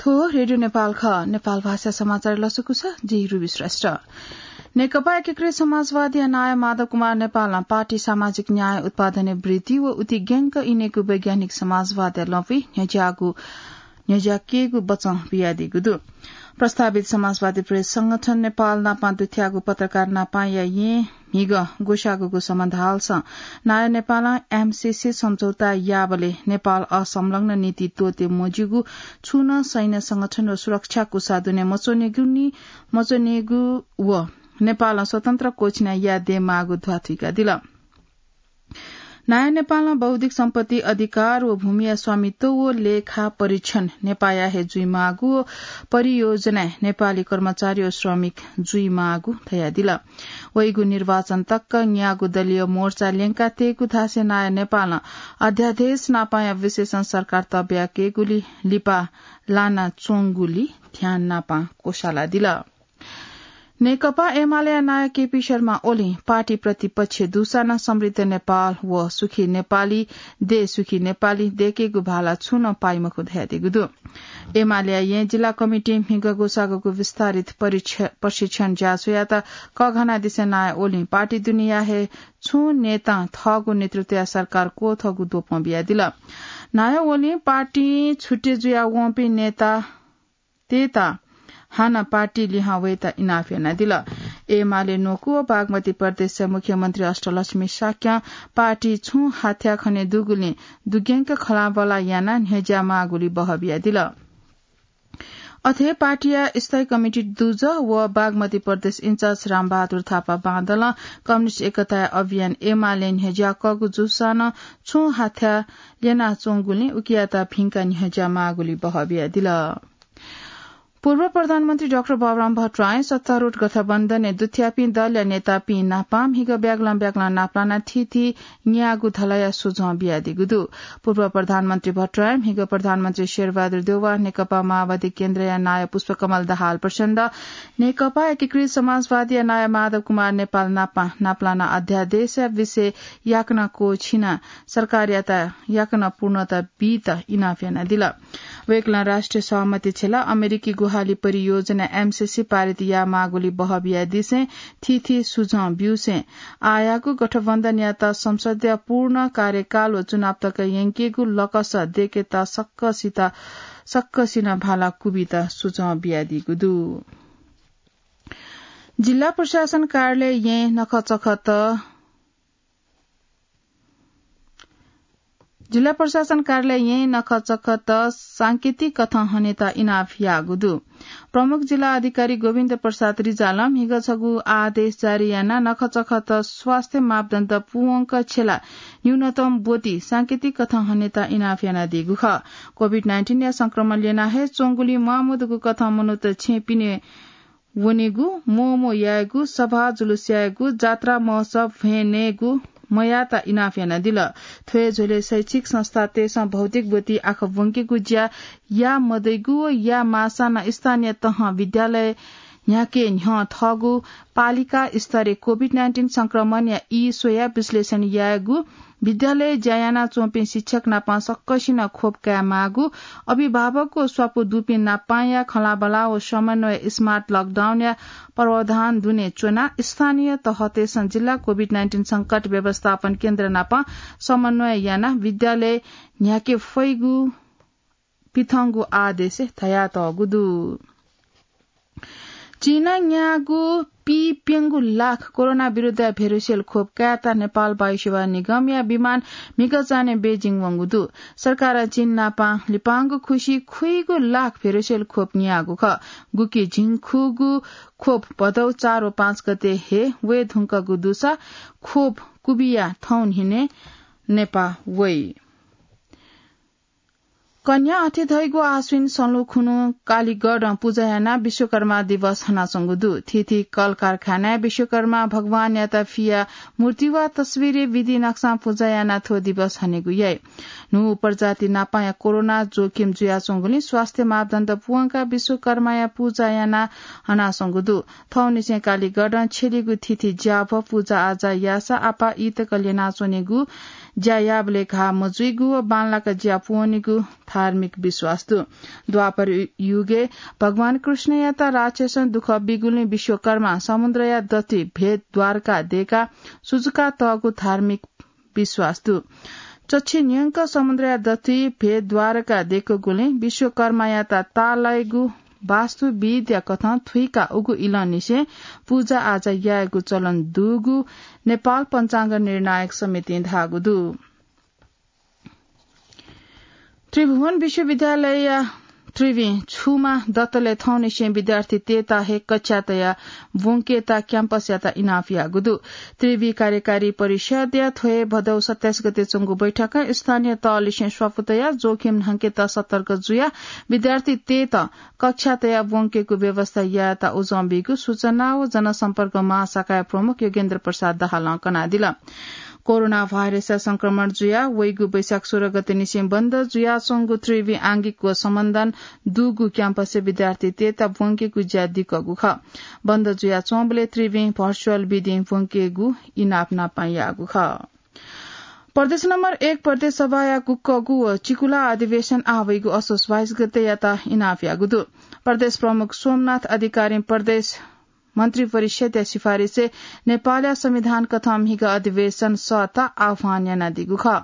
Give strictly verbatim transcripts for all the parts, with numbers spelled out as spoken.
थ्व रेडियो नेपाल खः। नेपाल भाषा समाचार लसकुस, जि रुबी श्रेष्ठ। नेकपा एकीकृत समाजवादीया नायः माधव कुमार नेपालं पार्टी सामाजिक न्याय, उत्पादनय् वृद्धि व उतिग्यंक इनेगु वैज्ञानिक समाजवादया लँपुइ न्ह्यज्याःगु, न्ह्यज्याकेगु बचं बियादीगु दु। प्रस्तावित समाजवादी प्रेस संगठन नेपाल नापं दुथ्याःगु पत्रकार नापंया येँ म्हिगः ग्वसाःगुगु सम्बन्ध हालसं नायः नेपालं एमसीसी सम्झौता याःबलय् नेपाल असंलग्न नीति त्वःते मज्यूगु छुं नं सैन्य संगठन व सुरक्षा कुसा दुने मच्वनेगु नि, मच्वनेगु व नेपालं स्वतन्त्र कोछिना याये दयेमाःगु ध्वाथुइकादिल। नायः नेपालं बौद्धिक सम्पत्ति अधिकार व भूमिया स्वामित्व व लेखा परीक्षण नेपाःया हे जुइमाःगु व परियोजनाय् नेपाली कर्मचारी व श्रमिक जुइमाःगु धयादिल। वइगु निर्वाचन तक न्यागू दलीय मोर्चा ल्यंकातयेगु धासें नायः नेपालं अध्यादेश नापंया विषयसं सरकार तब्याकेगुली लिपा लानाच्वंगुली ध्यान नापं क्वसालादिल। नेकपा एमालेया नायः केपी शर्मा ओलीं पार्टी प्रतिपक्ष दुसां नं समृद्ध नेपाल व सुखी नेपाली, देश सुखी नेपाली दयेकेगु भाला छुं नं पाइ मखु धयादीगु दु। एमालेया येँ जिल्ला कमिटीं म्हिगः ग्वसाःगु विस्तारित परीक्ष-, प्रशिक्षण ज्याझ्वःयात कःघानादिसें नायः ओलीं पार्टी दुनेया हे छुं नेतां थःगु नेतृत्वया सरकार क्वथःगु द्वपं बियादिल। नायः ओलीं पार्टीं छुट्टि जुयावंपिं नेता तय्‌त हानं पार्टी लिहां वयेत इनाप यानादिल। एमाले न्वकू व बागमती प्रदेशया मुख्यमन्त्री अष्टलक्ष्मी शाक्यं पार्टी छुं हाथ्या खने दुगुलिं दुग्यंक खँल्हाबल्हा यानाः न्ह्यज्यामाःगुली बहः बियादिल। अथे पार्टीया स्थायी कमिटी दुजः व बागमती प्रदेश इन्चार्ज रामबहादुर थापा बांदलं कम्युनिस्ट एकताया अभियान एमाले न्ह्यज्याकःगु जूसां नं छुं हाथ्या ल्यनाच्वंगुलिं उकियात भिंकाः न्ह्यज्यामाःगुली बहः बियादिल। पूर्व प्रधानमन्त्री डाक्टर बाबुराम भट्टराईं सत्तारूढ गठबन्धनय् दुथ्याःपिं दलया नेतापिं नापं म्हिगः ब्यागलं ब्यागलं नापलानाः थीथी न्यागू धलया सुझं बियादीगु दु। पूर्व प्रधानमन्त्री भट्टराईं म्हिगः प्रधानमन्त्री शेरबहादुर देउवा, नेकपा माओवादी केन्द्रया नायः पुष्पकमल दाहाल प्रचण्ड, नेकपा एकीकृत समाजवादीया नायः माधव कुमार नेपाल नापं नापलानाः अध्यादेशया विषय याकनं क्वःछिनाः सरकारयात याकनं पूर्णता बीत इनाप यानादिल। वय्‌कलं राष्ट्रिय सहमति छ्यला अमेरिकी गुहाली परियोजना एमसीसी पारित यायेमाःगुली बहः बियादिसें थीथी सुझं ब्यूसें आःयागु गठबन्धनयात संसदया पूर्ण कार्यकाल व चुनाव तक यंकेगु लकस दयेकेत सक्कसित, सक्कसिनं भाला क्वबित सुझं बियादीगु दु। जिल्ला प्रशासन कार्यालय येँ नखःचखःत जिल्ला प्रशासन कार्यालय येँ नखःचखःत सांकेतिक कथं हनेत इनाप याःगु दु। प्रमुख जिल्ला अधिकारी गोविन्द प्रसाद रिजालं म्हिगः छगू आदेश जारी यानाः नखःचखःत स्वास्थ्य मापदण्ड पूवंक छ्यला न्यूनतम ब्वति सांकेतिक कथं हनेत इनाप यानादीगु खः। कोभिड नाइन्टिनया संक्रमण ल्यनाः हे च्वंगुलिं म्वाःमदुगु कथं मनूत छेँय् पिने वनेगु, म्वःम्वः यायेगु, सभा जुलुस यायेगु, जात्रा महोत्सव भ्वय् नयेगु मयायेत इनाप यानादिल। थ्व हे झ्वलय् शैक्षिक संस्थातय्‌सं भौतिक ब्वति आखः ब्वंकेगु ज्या याये मदइगु व याये माःसां नं स्थानीय तहं विद्यालय न्ह्याके न्ह्यः थःगु पालिका स्तरय् कोभिड नाइन्टिन संक्रमणया ई स्वयाः विश्लेषण यायेगु, विद्यालयय् ज्या यानाच्वंपिं शिक्षक नाप सकसिनं खोप कायेमाःगु, अभिभावक व स्वापू दुपिं नापंया खँल्हाबल्हा व समन्वय स्मार्ट लकडाउनया प्रावधान दुने च्वनाः स्थानीय तहतय्‌सं जिल्ला कोभिड नाइन्टिन संकट व्यवस्थापन केन्द्र नाप समन्वय यानाः विद्यालय न्ह्याके फइगु पिथंगु आदेशय् धयातःगु दु। चीनं न्याःगु पीप्यंगू लाख कोरोना विरुद्धया भेरोसेल खोप कायेत नेपाल वायुसेवा निगमया विमान म्हिगः चान्हय् बेजिङ वंगु दु। सरकारं चीन नाप लिपांगु खुसि खुइगू लाख भेरोसेल खोप न्याःगु खः। गुकी झिंखुगू खोप भदौ चार व पाँच गते हे वये धुंकूगु दुसा खोप क्वबिया थौं न्हिनय् नेपाः वइ। कन्हय् अथे धइगु आश्विन सँल्हु खुन्हु कालिगढं पुजा यानाः विश्वकर्मा दिवस हनाच्वंगु दु। थीथी कल कारखानाय् विश्वकर्मा भगवानयात फियाः मूर्ति वा तस्वीरय् विधि नक्सां पुजा यानाः थ्व दिवस हनेगु याइ। न्हू प्रजाति नापंया कोरोना जोखिम जुयाच्वंगुलिं स्वास्थ्य मापदण्ड पूवंकाः विश्वकर्माया पुजा यानाः हनाच्वंगु दु। थौंनिसें कालिगढं छ्यलीगु थीथी ज्याभः पुजा आजा याःसा आपाः ई तक ल्यनाच्वनेगु ज्या याःबलय् घाः मजुइगु व बांलाक ज्या पूवनीगु धार्मिक विश्वास दु। द्वापर युगय् भगवान कृष्णयात राक्षसं दुःख बीगुलिं विश्वकर्मा समुद्रया दथुइ भेद द्वारका देका सुजुका तःगु धार्मिक विश्वास दु। चच्छि न्यंक समुद्रया दथुइ भेद द्वारका देकूगुलिं विश्वकर्मायात ताःलाइगु वास्तु विद्या कथं थुइका उगु इलंनिसें पूजा आजा यायेगु चलन दुगु नेपाल पञ्चाङ्ग निर्णायक समितिं धाःगु दु। त्रिभुवन विश्वविद्यालयया त्रिवि छुमा दतले थौंनिसें विद्यार्थीतय्‌त हे कक्षा तया ब्वंकेत क्याम्पसयात इनाप याःगु दु। त्रिवि कार्यकारी परिषदया थ्व हे भदौ सत्ताइस गते च्वंगु बैठकं स्थानीय तहलिसें स्वापू तया जोखिम न्हंकेत सतर्क जुया विद्यार्थीतय्‌त कक्षा तया ब्वंकेगु व्यवस्था यायेत उजं बीगु सूचना व जनसम्पर्क महाशाखाया प्रमुख योगेन्द्र प्रसाद दाहालं कनादिल। कोरोना भाइरसया संक्रमण जुया वइगु वैशाख सोह्र गते निसें बन्द जुयाच्वंगु त्रिवि आंगिक व सम्बन्धन दुगु क्याम्पसय् विद्यार्थीतय्‌त ब्वंकेगु ज्या दिकःगु खः। बन्द जुयाच्वंबलय् त्रिविं भर्चुअल विधिं ब्वंकेगु इनाप नापं याःगु खः। प्रदेश नम्बर एक प्रदेश सभाया गुक्कःगु व चिकुला अधिवेशन आः वइगु असोज बाइस गतेयात इनाप याःगु दु। प्रदेश प्रमुख सोमनाथ अधिकारीं प्रदेश मन्त्री परिषदया सिफारिसय् नेपालया संविधान कथं म्हिगः अधिवेशन सःता आह्वान यानादीगु खः।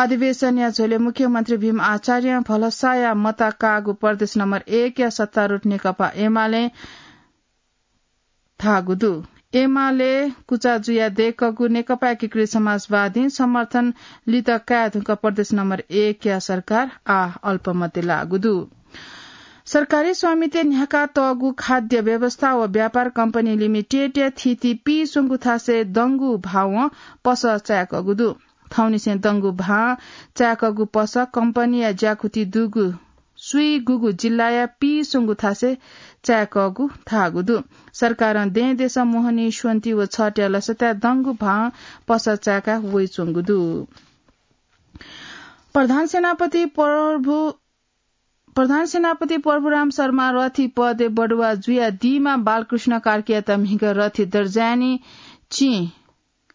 अधिवेशनया झ्वलय् मुख्यमन्त्री भीम आचार्यं भलसाया मता काःगु प्रदेश नम्बर एकया सत्तारूढ नेकपा एमालें धाःगु दु। एमाले कुचा जुया दय्‌कःगु नेकपा एकीकृत समाजवादीं समर्थन लित काये धुंकाः प्रदेश नम्बर एकया सरकार आः अल्पमतय् लाःगु दु। सरकारी स्वामित्वय् न्ह्याका तःगु खाद्य व्यवस्था व व्यापार कम्पनी लिमिटेडया थीथी पीस्वंगू थासय् दंगु भावं पसः चाय्‌कःगु दु। थौंनिसें दंगु भां चाय्‌कःगु पसः कम्पनीया ज्याकुथि दुगु स्वीगुगु जिल्लाया पीस्वंगू थासय् चाय्‌कःगु धाःगु दु। सरकारं दँय्‌देशं मोहनी, स्वन्ति व छठया लसताय् दंगु भां पसः चाय्‌का वइच्वंगु दु। प्रधान सेनापति प्रभु, प्रधान सेनापति प्रभुराम शर्मा रथी पदय् बढुवा जुयादीमा बालकृष्ण कार्कीयात म्हिगः रथी दर्जाय् निं चिं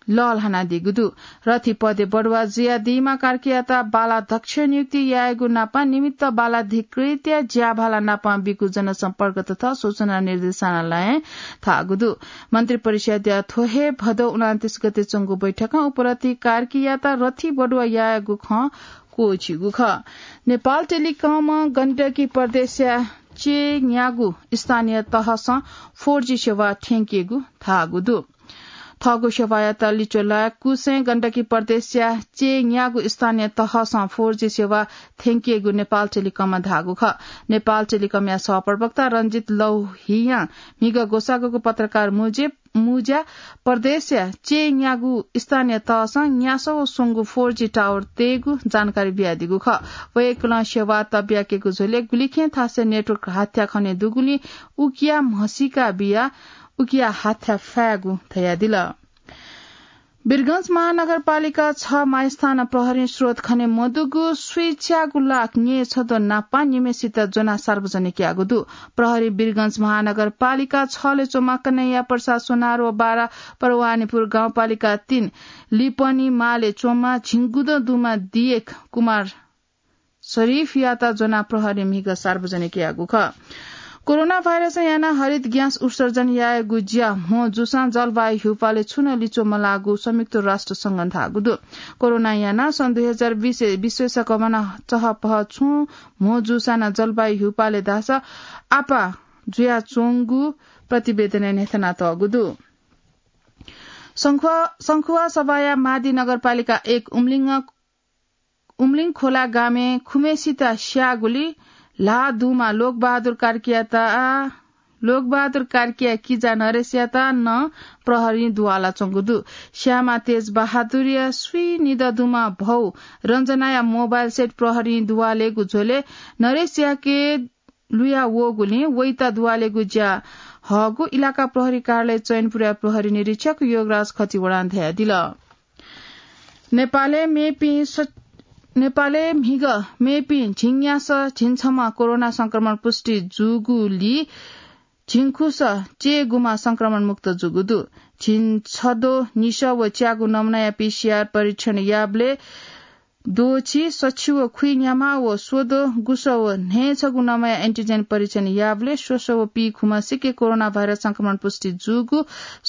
लःल्हानादीगु दु। रथी पदय् बढुवा जुयादीमा कार्कीयात बालाध्यक्ष नियुक्ति यायेगु नापं निमित्त बालाधिकृतया ज्याभाला नापं बीगु जनसम्पर्क तथा सूचना निर्देशनालयं धाःगु दु। मन्त्री परिषदया थ्व हे भदौ उनन्तीस गते च्वंगु बैठकं उपरथी कार्कीयात रथी बढुवा यायेगु खँ क्वःछिगु खः। नेपाल टेलिकमं गण्डकी प्रदेशया चय्‌न्यागू स्थानीय तहसं four G सेवा थ्यंकेगु धाःगु दु। थःगु सेवायात लिच्वः लायेकुसें गण्डकी प्रदेशया चय्‌न्यागू स्थानीय तहसं four G सेवा थ्यंकेगु नेपाल टेलिकमं धाःगु खः। नेपाल टेलिकमया सहप्रवक्ता रञ्जित लौहियां म्हिगः ग्वसाःगु पत्रकार मुजे मुज्या प्रदेशया चय्‌न्यागू स्थानीय तहसं न्यासः व स्वंगू four G tower तयेगु जानकारी बियादीगु खः। वय्‌कलं सेवा तब्याकेगु झ्वलय् गुलिखें थासय् network हाथ्या खने दुगुलिं उकिया म्हसीका बियाः उकिया हाथ्या फायेगु धयादिल। वीरगंज महानगरपालिका छ मायस्थान प्रहरीं स्रोत खने मदुगु स्वीच्यागू लाख न्यय् छद्वः नापं निम्हय्‌सित ज्वनाः सार्वजनिक याःगु दु। प्रहरीं वीरगंज महानगरपालिका छलय् च्वंम्ह कन्हैया प्रसाद सोनार व बारा परवानीपुर गाउँपालिका तीन लिपनी मालय् च्वंम्ह झिंगुदँ दुम्ह दियेक कुमार शरीफयात ज्वनाः प्रहरीं म्हिगः सार्वजनिक याःगु खः। कोरोना भाइरसं यानाः हरित ग्यास उत्सर्जन यायेगु ज्या म्हो जूसां जलवायु ह्यूपालय् छुं नं लिच्वः मलाःगु संयुक्त राष्ट्र संघं धाःगु दु। कोरोनां यानाः सन् दुई हजार बीस विश्वय् सकभनं चहपह छुं म्हो जूसां नं जलवायु ह्यूपालय् धाःसा आपाः जुयाच्वंगु प्रतिवेदनय् न्ह्यथनातःगु दु। संखुवा, संखुवासभाया मादी नगरपालिका एक उमलिङ उमलिङ खोला गामय् खुम्हेसित स्याःगुलिं ल्हाः दुम्ह लोकबहादुर कार्कीयात, लोकबहादुर कार्कीया किजा नरेशयात नं प्रहरीं दुवालाच्वंगु दु। स्याःम्ह तेज बहादुरया स्वीगू निदँ दुम्ह भौ रञ्जनाया mobile set प्रहरीं दुवालेगु झ्वलय् नरेशयाके लुया वःगुलिं वइत दुवालेगु ज्या हःगु इलाका प्रहरी कार्यालय चैनपुरया प्रहरी निरीक्षक योगराज खतिवडां धयादिल। नेपालय् मेपिं स-, नेपालय् म्हिगः मेपिं झिंन्यासः झिंछम्ह कोरोना संक्रमण पुष्टि जूगुलिं झिंखुस चय्‌गुम्ह संक्रमण मुक्त जूगु दु। झिंछद्वः निसः व च्यागू नमुनाया पीसीआर परीक्षण याःबलय् द्वःछि सछि व खुइन्ह्याम्ह व स्वद्वः गुसः व न्हय्‌छगू नमुनाया एन्टिजेन परीक्षण याःबलय् स्वसः व पीखुम्ह सिक्क कोरोना भाइरस संक्रमण पुष्टि जूगु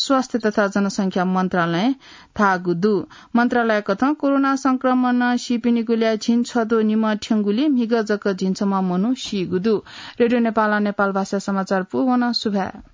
स्वास्थ्य तथा जनसंख्या मन्त्रालयं धाःगु दु। मन्त्रालयकथं कोरोना संक्रमणं सीपिनिगु ल्याः झिंछद्वः निम्ह थ्यंगुलिं म्हिगः जक झिंछम्ह मनू सीगु दु। रेडियो नेपालं नेपाल भाषा समाचार पूवन सुभाय्।